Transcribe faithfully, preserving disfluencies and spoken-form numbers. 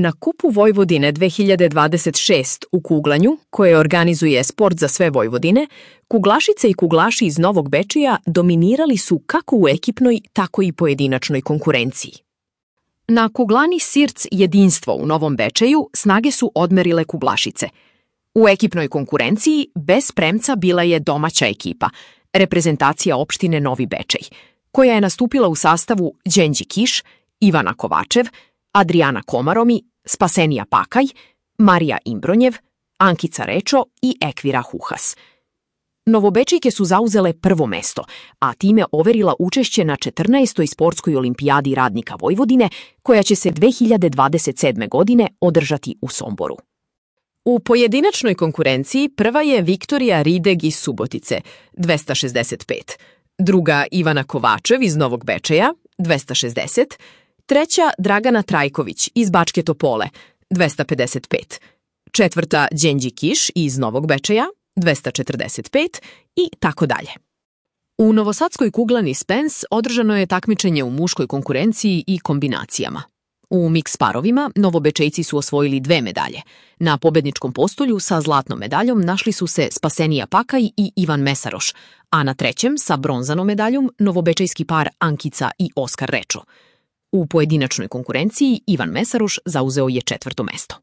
Na Kupu Vojvodine dve hiljade dvadeset šest u kuglanju, koje organizuje Sport za sve Vojvodine, kuglašice i kuglaši iz Novog Bečeja dominirali su kako u ekipnoj, tako i pojedinačnoj konkurenciji. Na kuglani Sirc Jedinstvo u Novom Bečeju snage su odmerile kuglašice. U ekipnoj konkurenciji bez premca bila je domaća ekipa, reprezentacija opštine Novi Bečej, koja je nastupila u sastavu Đenđi Kiš, Ivana Kovačev, Adrijana Komaromi, Spasenija Pakaj, Marija Imbronjev, Ankica Rečo i Ekvira Huhas. Novobečejke su zauzele prvo mesto, a time overila učešće na četrnaestoj sportskoj olimpijadi radnika Vojvodine, koja će se dve hiljade dvadeset sedme. godine održati u Somboru. U pojedinačnoj konkurenciji prva je Viktorija Rideg iz Subotice, dvesta šezdeset pet, druga Ivana Kovačev iz Novog Bečeja, dvesta šezdeset, treća Dragana Trajković iz Bačke Topole, dvesta pedeset pet, četvrta Đenđi Kiš iz Novog Bečeja, dvesta četrdeset pet i tako dalje. U novosadskoj kuglani Spens održano je takmičenje u muškoj konkurenciji i kombinacijama. U miks parovima Novobečejci su osvojili dve medalje. Na pobedničkom postolju sa zlatnom medaljom našli su se Spasenija Pakaj i Ivan Mesaroš, a na trećem sa bronzanom medaljom novobečejski par Ankica i Oskar Rečo. U pojedinačnoj konkurenciji Ivan Mesaroš zauzeo je četvrto mesto.